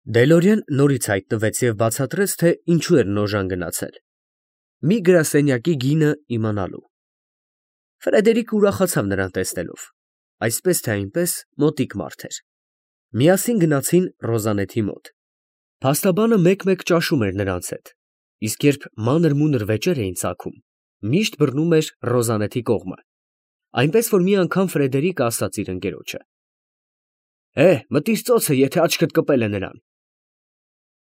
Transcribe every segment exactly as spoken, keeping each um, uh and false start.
Դելորիան նորից հայտնվեց և բացատրեց, թե ինչու էր Նոժան գնացել, մի գրասենյակի գինը իմանալու։ Ֆրեդերիկը ուրախացավ նրան տեսնելով, այսպես թե այնպես մոտիկ մարդ էր։ Միասին գնացին Ռոզանեթի մոտ։ Փաստաբանը մեկ֊մեկ ճաշում էր նրանց հետ, իսկ երբ մանր֊մունր վեճեր էին ծագում, միշտ բռնում էր Ռոզանեթի կողմը, այնպես որ մի անգամ Ֆրեդերիկը ասաց իր ընկերոջը. «Է, մտիր ծոցը, եթե աչքդ կպել է նրան»։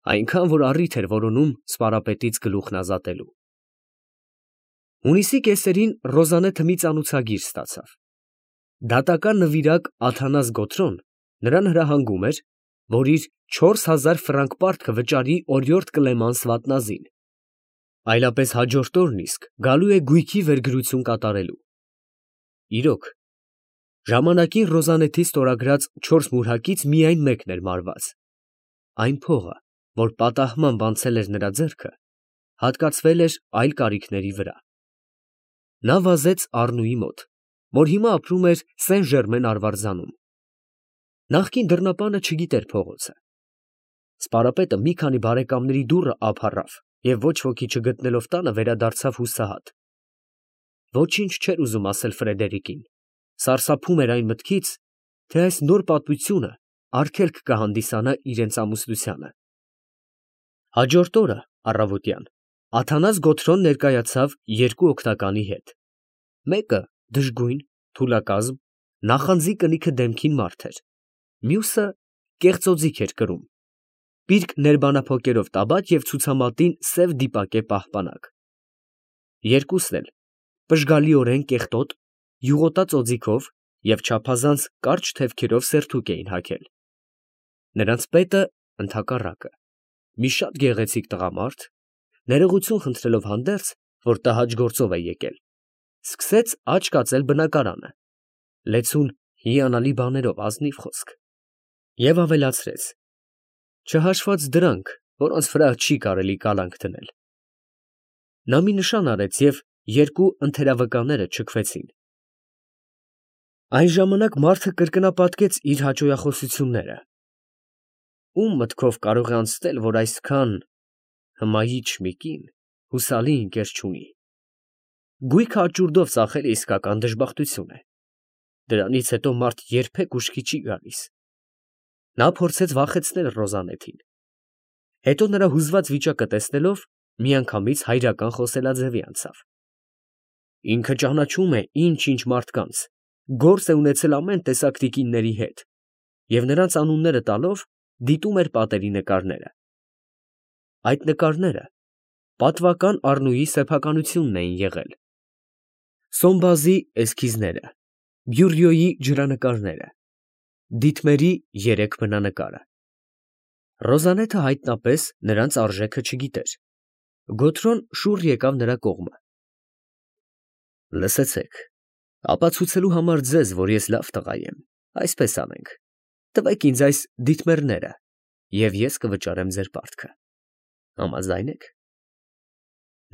Այնքան, որ առիթ էր որոնում սպարապետից գլուխն ազատելու։ Հունիսի կեսերին Ռոզանեթը մի ծանոցագիր ստացավ։ Դատական նվիրակ Աթանաս Գոթրոն նրան հրահանգում էր, որ իր չորս հազար ֆրանկ պարտքը վճարի օրիորդ Կլեմանս վատնազին, այլապես հաջորդ օրն իսկ գալու է գույքի վերգրություն կատարելու։ Իրոք, ժամանակին Ռոզանեթի ստորագրած չորս մուրհակից միայն մեկն էր մարված։ Այն փողը, որ պատահմամբ անցել էր նրա ձեռքը, հատկացվել էր այլ կարիքների վրա։ Նա վազեց Առնուի մոտ, որ հիմա ապրում էր Սեն֊Ժերմեն արվարձանում։ Նախկին դռնապանը չգիտեր փողոցը։ Սպարապետը մի քանի բարեկամների դուռը ափ առավ և ոչ ոքի չգտնելով տանը վերադարձավ հուսահատ։ Ոչինչ չէր ուզում ասել Ֆրեդերիկին, սարսափում էր այն մտքից, թե այս նոր պատմությունը արգելք կհանդիսանա իրենց ամուսնությանը։ Հաջորդ օրը առավոտյան Աթանաս Գոթրոն ներկայացավ երկու օգնականի հետ։ Մեկը դժգույն, թուլակազմ, նախանձի կնիքը դեմքին մարդ էր, մյուսը կեղծոձիգ էր կրում, պիրկ ներբանափոկերով տաբատ և ցուցամատին սև դիպակե պահպանակ։ Երկուսն էլ պժգալիորեն կեղտոտ, յուղոտած օձիքով և չափազանց կարճ թևքերով սերթուկ էին հագել։ Նրանց պետը, ընդհակառակը, մի շատ գեղեցիկ տղամարդ, ներողություն խնդրելով հանդերձ, որ տհաճ գործով է եկել, սկսեց աջ կացել բնակարանը, լեցուն հիանալի բաներով, ազնիվ խոսք, և ավելացրեց. չհաշված դրանք, որոնց վրա չի կարելի կալանք դնել։ Նա մի նշան արեց և երկու ընթերավկաները չքվեցին։ Այն ժամանակ մարդը կրկնապատկեց իր հաճոյախոսությունները. ում մտքով կարող է անցնել, որ այսքան հմայիչ մի կին հուսալի ընկեր չունի։ Գույքը աճուրդով ծախելը իսկական դժբախտություն է։ Դրանից հետո մարդ երբեք ուշքի չի գալիս։ Նա փորձեց վախեցնել Ռոզանեթին, հետո նրա հուզված վիճակը տեսնելով, միանգամից հայրական խոսելաձևի անցավ. ինքը ճանաչում է ինչ֊ինչ մարդկանց, գործ է ունեցել ամեն տեսակ տիկինների հետ և նրանց անունները տալով դիտում էր պատերի նկարները։ Այդ նկարները պատվական Առնուի սեփականությունն էին եղել. Սոմբազի էսքիզները, Բյուռյոյի ջրանկարները, Դիտմերի երեք բնանկարը։ Ռոզանեթը հայտնապես նրանց արժեքը չգիտեր։ Գոթրոն շուռ եկավ նրա կողմը։ Լսեցեք, ապացուցելու համար ձեզ, որ ես լավ տղա եմ, այսպես անենք. տվեք ինձ այս դիտմերները, և ես կվճարեմ ձեր պարտքը։ Համաձա՞յն եք։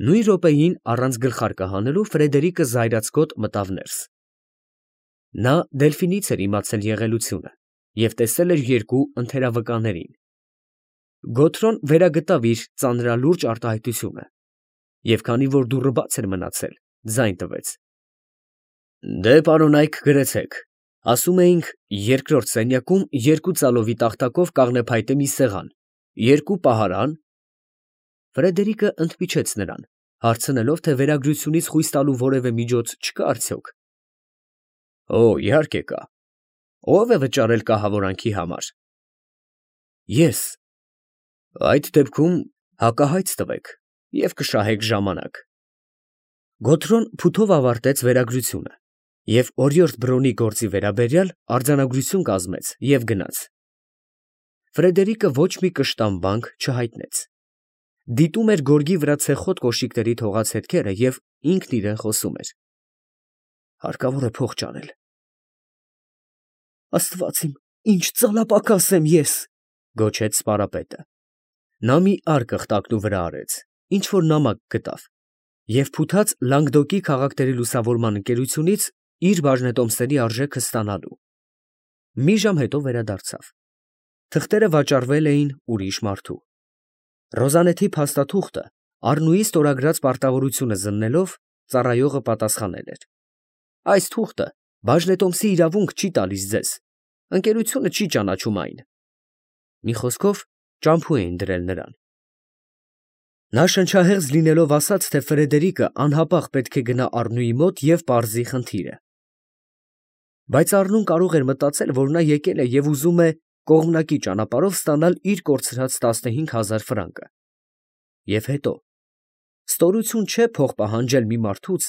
Նույն րոպեին, առանց գլխարկը հանելու, Ֆրեդերիկը զայրացկոտ մտավ ներս։ Նա Դելֆինից էր իմացել եղելությունը և տեսել էր երկու ընթերավկաներին։ Գոթրոն վերագտավ իր ծանրալուրջ արտահայտությունը և քանի որ դուռը բաց էր մնացել, ձայն տվեց. Դե, պարոնայք, գրեցեք, ասում էինք, երկրորդ սենյակում երկու ծալովի տախտակով կաղնեփայտե մի սեղան, երկու պահարան… Ֆրեդերիկը ընդմիջեց նրան, հարցնելով, թե վերագրությունից խույս տալու որևէ միջոց չկա արդյոք։ Օ, իհարկե կա. ո՞վ է վճարել կահավորանքի համար։ Ես։ Այդ դեպքում հակահայց տվեք և կշահեք ժամանակ։ Գոթրոն փութով ավարտեց վերագրությունը և օրիորդ Բրոնի գործի վերաբերյալ արձանագրություն կազմեց և գնաց։ Ֆրեդերիկը ոչ մի կշտամբանք չհայտնեց։ Դիտում էր գորգի վրա ցեխոտ կոշիկների թողած հետքերը և ինքն իրան խոսում էր. հարկավոր է փող ճարել։ Աստված իմ, ինչ ծալապակաս եմ ես, գոչեց սպարապետը։ Նա մի արկղ տակնու վրա արեց, ինչ֊որ նամակ գտավ և փութաց Լանգդոկի քաղաքների լուսավորման ընկերությունից իր բաժնետոմսերի արժեքը ստանալու։ Մի ժամ հետո վերադարձավ։ Թղթերը վաճառվել էին ուրիշ մարդու։ Ռոզանեթի փաստաթուղթը Առնուի ստորագրած պարտավորությունը զննելով ծառայողը պատասխանել էր. այս թուղթը բաժնետոմսի իրավունք չի տալիս ձեզ, ընկերությունը չի ճանաչում այն։ Մի խոսքով ճամփու էին դրել նրան։ Նա շնչահեղձ լինելով ասաց, թե Ֆրեդերիկը անհապաղ պետք է գնա Առնուի մոտ և պարզի խնդիրը։ Բայց Առնուն կարող էր մտածել, որ նա եկել է և ուզում է կողմնակի ճանապարհով ստանալ իր կորցրած տասնհինգ հազար ֆրանկը։ Եվ հետո, ստորություն չէ փող պահանջել մի մարդուց,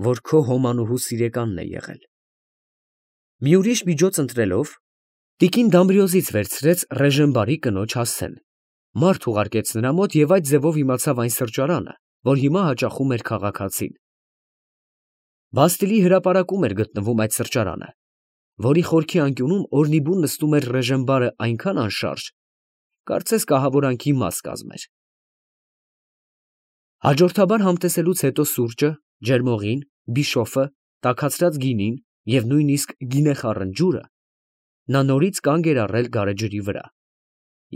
որ քո հոմանուհու սիրեկանն է եղել։ Մի ուրիշ միջոց ընտրելով, տիկին Դամբրիոզից վերցրեց Ռեժենբարի կնոջ հասցեն, մարդ ուղարկեց նրա մոտ և այդ ձևով իմացավ այն սրճարանը, որ հիմա հաճախում էր քաղաքացին։ Բաստիլի հրապարակում էր գտնվում այդ սրճարանը, որի խորքի անկյունում օրնիբուն նստում էր Ռեժենբարը այնքան անշարժ, կարծես կահավորանքի մաս կազմեր։ Հաջորդաբար համտեսելուց հետո սուրճը, ջերմողին, բիշոֆը, տաքացրած գինին և նույնիսկ գինեխառն ջուրը, նա նորից կանգ էր առել գարեջրի վրա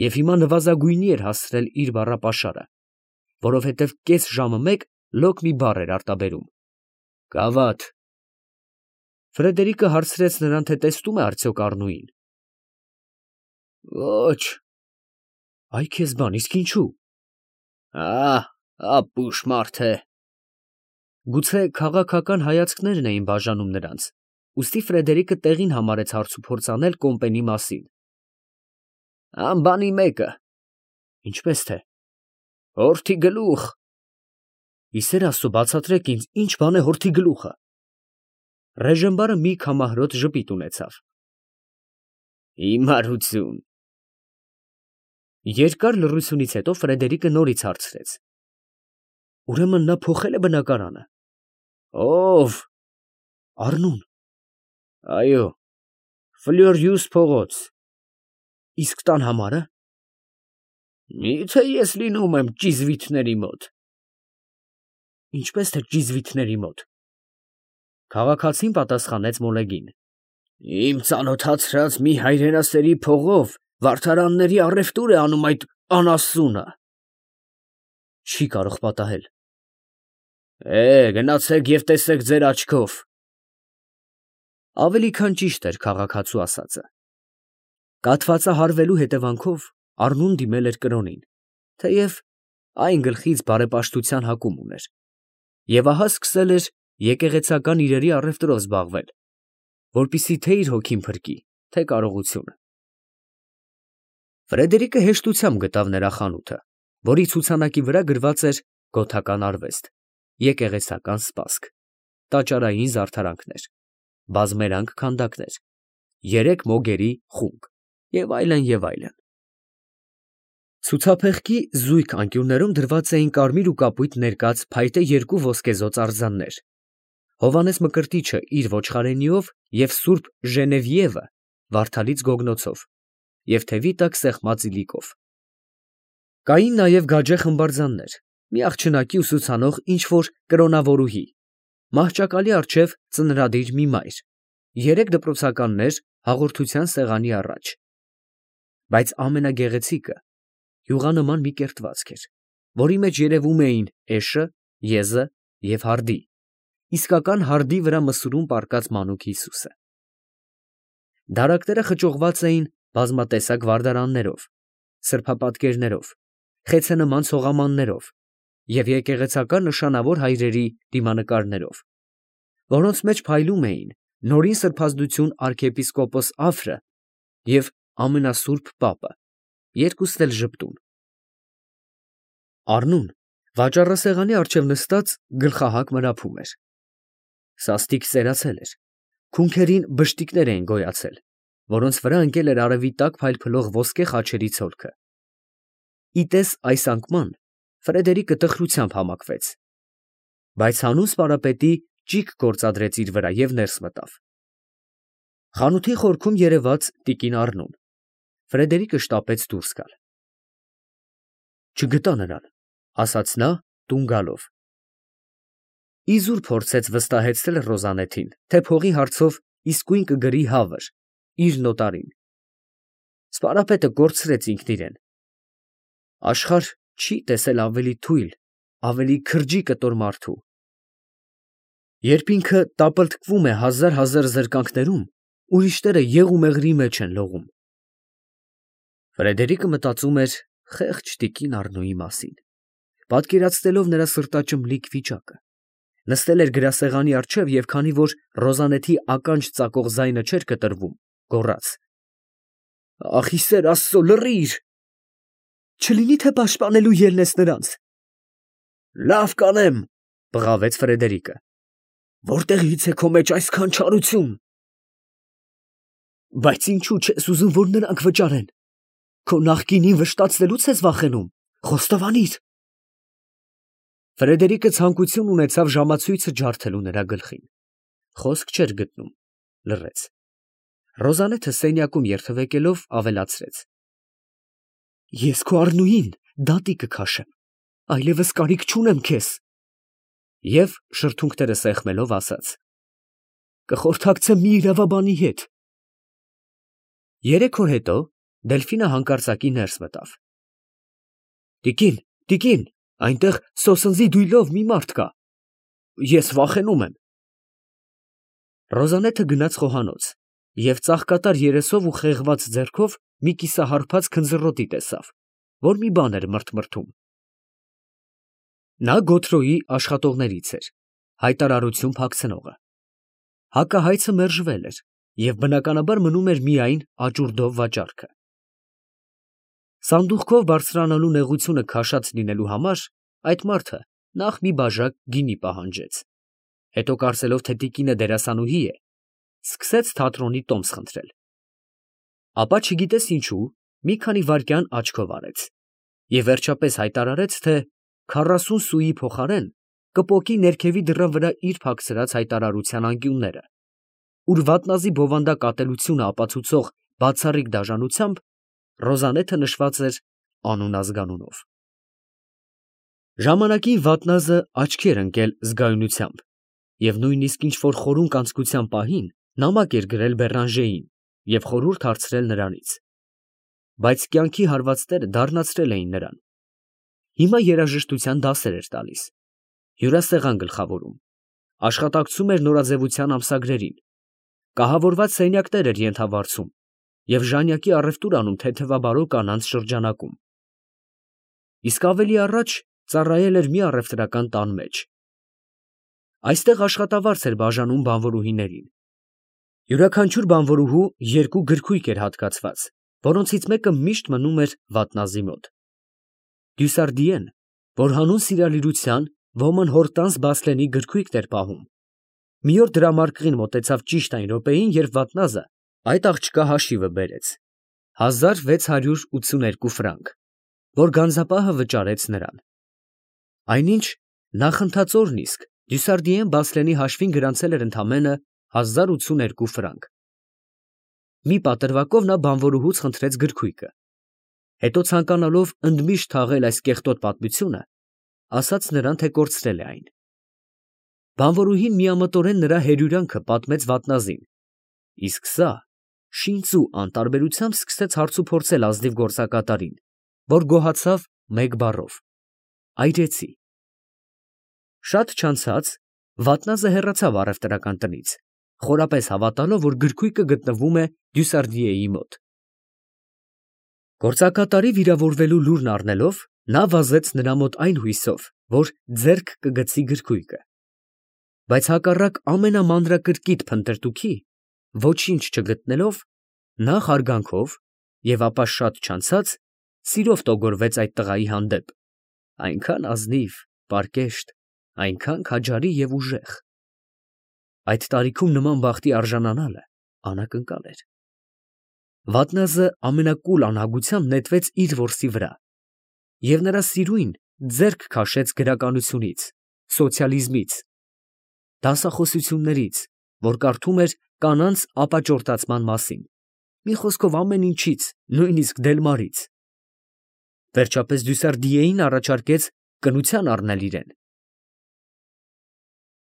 և հիմա նվազագույնի էր հասցրել իր բառապաշարը, որովհետև կես ժամը մեկ լոկ մի բառ էր արտաբերում. «Գավաթ»։ Ֆրեդերիկը հարցրեց նրան, թե տեսնում է արդյոք Առնուին։ Ոչ։ Այ քեզ բան, իսկ ինչու։ Ահ, ապուշ մարդ է։ Գուցե քաղաքական հայացքներն էին բաժանում նրանց, ուստի Ֆրեդերիկը տեղին համարեց հարցուփորձ անել Կոմպենի մասին։ Անբանի մեկը։ Ինչպես թե։ Հորթի գլուխ։ Իսեր Աստծո, բացատրեք ինձ, ինչ բան է հորթի գլուխը։ Ռեժենբարը մի քամահրոտ ժպիտ ունեցավ։ Հիմարություն։ Երկար լռությունից հետո Ֆրեդերիկը նորից հարցրեց. Ուրեմն նա փոխել է բնակարանը։ Ո՞վ։ Առնուն։ Այո, Ֆլյորյուս փողոց։ Իսկ տան համարը։ Միթե ես լինում եմ ճիզվիթների մոտ։ Ինչպես թե ճիզվիթների մոտ։ Քաղաքացին պատասխանեց մոլեգին. Իմ ծանոթացրած մի հայրենասերի փողով վարդարանների առևտուր է անում այդ անասունը։ Չի կարող պատահել։ Է, գնացեք և տեսեք ձեր աչքով։ Ավելի քան ճիշտ էր քաղաքացու ասածը։ Կաթվածահարվելու հետևանքով Առնուն դիմել էր կրոնին, թեև այն գլխից բարեպաշտության հակում ուներ, և ահա սկսել էր եկեղեցական իրերի առևտրով զբաղվել, որպեսզի թե իր հոգին փրկի, թե կարողությունը։ Ֆրեդերիկը հեշտությամբ գտավ նրա խանութը, որի ցուցանակի վրա գրված էր «Գոթական արվեստ», «Եկեղեցական սպասք», «Տաճարային զարդարանքներ», «Բազմերանգ քանդակներ», «Երեք մոգերի խունկ» և այլն, և այլն։ Ցուցափեղկի զույգ անկյուններում դրված էին կարմիր ու կապույտ ներկած փայտե երկու ոսկեզօծ արձաններ, Հովհաննես Մկրտիչը իր ոչխարենիով և Սուրբ Ժենևիևը վարդալից գոգնոցով և թևի տակ սեղմած իլիկով։ Կային նաև գաճե խմբարձաններ, մի աղջնակի ուսուցանող ինչ֊որ կրոնավորուհի, մահճակալի առջև ծնրադիր մի մայր, երեք դպրոցականներ հաղորդության սեղանի առաջ։ Բայց ամենագեղեցիկը յուղանման մի կերտվածք էր, որի մեջ երևում էին էշը, եզը և հարդի, իսկական հարդի վրա մսուրում պառկած մանուկ Հիսուսը։ Դարակները խճողված էին բազմատեսակ վարդարաններով, սրբապատկերներով, խեցենման ցողամաններով և եկեղեցական նշանավոր հայրերի դիմանկարներով, որոնց մեջ փայլում էին Նորին սրբազդություն արքեպիսկոպոս Աֆրը և ամենասուրբ պապը, երկուսն էլ ժպտուն։ Առնուն վաճառասեղանի առջև նստած գլխահակ մրափում էր։ Սաստիկ սերացել էր, քունքերին բշտիկներ էին գոյացել, որոնց վրա ընկել էր արևի տակ փայլփլող ոսկե խաչերի ցոլքը։ Ի տես այս անկման Ֆրեդերիկը տխրությամբ համակվեց, բայց հանուն սպարապետի ճիգ գործադրեց իր վրա և ներս մտավ։ Խանութի խորքում երևաց տիկին Առնուն։ Ֆրեդերիկը շտապեց դուրս գալ։ Չգտա նրան, ասաց նա տուն գալով։ Իզուր փորձեց վստահեցնել Ռոզանեթին, թե փողի հարցով իսկույն կգրի հավր իր նոտարին։ Սպարապետը կորցրեց ինքն իրեն։ Աշխարհ չի տեսել ավելի թույլ, ավելի քրջի կտոր մարդու։ Երբ ինքը տապլտկվում է հազար֊հազար զրկանքներում, ուրիշները եղու-մեղրի մեջ են լողում։ Ֆրեդերիկը մտածում էր խեղճ տիկին Առնոյի մասին, պատկերացնելով նրա սրտաճմլիկ վիճակը։ Նստել էր գրասեղանի առջև և քանի որ Ռոզանեթի ականջ ծակող ձայնը չէր կտրվում, գոռաց. «Ախ, ի սեր Աստծո, լռի՜ր, չլինի թե պաշտպանելու ելնես նրանց»։ «Լավ կանեմ», բղավեց Ֆրեդերիկը։ «Որտեղից է քո մեջ այսքան չարություն»։ «Բայց ինչու չես ուզում, որ նրանք վճարեն։ Քո նախկինին վշտացնելուց ես վախենում, խոստովանիր»։ Ֆրեդերիկը ցանկություն ունեցավ ժամացույցը ջարդելու նրա գլխին։ Խոսք չէր գտնում, լռեց։ Ռոզանեթը սենյակում երթևեկելով ավելացրեց. «Ես քո Առնուին դատի կքաշեմ, այլևս կարիք չունեմ քեզ»։ Եվ շրթունքները սեղմելով ասաց. «Կխորհրդակցեմ մի իրավաբանի հետ»։ Երեք օր հետո Դելֆինը հանկարծակի ներս մտավ։ «Տիկին, տիկին, այնտեղ սոսնձի դույլով մի մարդ կա, ես վախենում եմ»։ Ռոզանեթը գնաց խոհանոց և ծաղկատար երեսով ու խեղված ձեռքով մի կիսահարբած քնձռոտի տեսավ, որ մի բան էր մրթմրթում։ Նա Գոթրոյի աշխատողներից էր, հայտարարություն փակցնողը։ Հակահայցը մերժվել էր և բնականաբար մնում էր միայն աճուրդով վաճառքը։ Սանդուղքով բարձրանալու նեղությունը քաշած լինելու համար այդ մարդը նախ մի բաժակ գինի պահանջեց, հետո կարծելով, թե տիկինը դերասանուհի է, սկսեց թատրոնի տոմս խնդրել։ Ապա չգիտես ինչու մի քանի վայրկյան աչքով արեց և վերջապես հայտարարեց, թե քառասուն սուի փոխարեն կպոկի ներքևի դռան վրա իր փակցրած հայտարարության անկյունները, ուր վատնազի բովանդակ ատելությունը ապացուցող բացառիկ դաժանությամբ Ռոզանեթը նշված էր անուն֊ազգանունով։ Ժամանակին վատնազը աչքի էր ընկել զգայունությամբ և նույնիսկ ինչ֊որ խորուն կանցկության պահին նամակ էր գրել Բերանժեին և խորհուրդ հարցրել նրանից։ Բայց կյանքի հարվածները դառնացրել էին նրան։ Հիմա երաժշտության դասեր էր տալիս, հյուրասեղան գլխավորում, աշխատակցում էր նորաձևության ամսագրերին, կահավորված սենյակներ էր ենթավարձում և ժանյակի առևտուր անում թեթևաբարո կանանց շրջանակում։ Իսկ ավելի առաջ ծառայել էր մի առևտրական տան մեջ։ Այստեղ աշխատավարձ էր բաժանում բանվորուհիներին։ Յուրաքանչյուր բանվորուհու երկու գրքույկ էր հատկացված, որոնցից մեկը միշտ մնում էր վատնազի մոտ։ Դյուսարդիեն, որ հանուն սիրալիրության ոմն Հորտանս Բասլենի գրքույկն էր պահում, մի օր դրամարկղին մոտեցավ ճիշտ այն րոպեին, երբ վատնազը այդ աղջկա հաշիվը բերեց՝ հազար վեց հարյուր ութսուներկու ֆրանկ, որ գանձապահը վճարեց նրան։ Այնինչ նախընթացորն իսկ Դյուսարդիեն Բասլենի հաշվին գրանցել էր ընդամենը հազար ութսուներկու ֆրանկ։ Մի պատրվակով նա բանվորուհուց խնդրեց գրքույկը, հետո ցանկանալով ընդմիշտ թաղել այս կեղտոտ պատմությունը, ասաց նրան, թե կորցրել է այն։ Բանվորուհին միամտորեն նրա հերյուրանքը պատմեց վատնազին, իսկ սա շինծու անտարբերությամբ սկսեց հարցուփորձել ազնիվ գործակատարին, որ գոհացավ մեկ բառով. «Այրեցի»։ Շատ չանցած վատնազը հեռացավ առևտրական տնից, խորապես հավատալով, որ գրքույկը գտնվում է Դյուսարդիեի մոտ։ Գործակատարի վիրավորվելու լուրն առնելով, նա վազեց նրա մոտ այն հույսով, որ ձեռք կգցի գրքույկը։ Բայց հակառակ ամենամանրակրկիտ փնտրտուքի, ոչինչ չգտնելով, նա հարգանքով և ապա շատ չանցած սիրով տոգորվեց այդ տղայի հանդեպ, այնքան ազնիվ, պարկեշտ, այնքան քաջարի և ուժեղ։ Այդ տարիքում նման բախտի արժանանալը անակնկալ էր։ Վատնազը ամենակուլ անհագությամբ նետվեց իր որսի վրա և նրա սիրույն ձեռք քաշեց գրականությունից, սոցիալիզմից, դասախոսություններից, որ կարդում էր կանանց ապաճորտացման մասին, մի խոսքով ամեն ինչից, նույնիսկ Դելմարից։ Վերջապես Դյուսարդիեին առաջարկեց կնության առնել իրեն,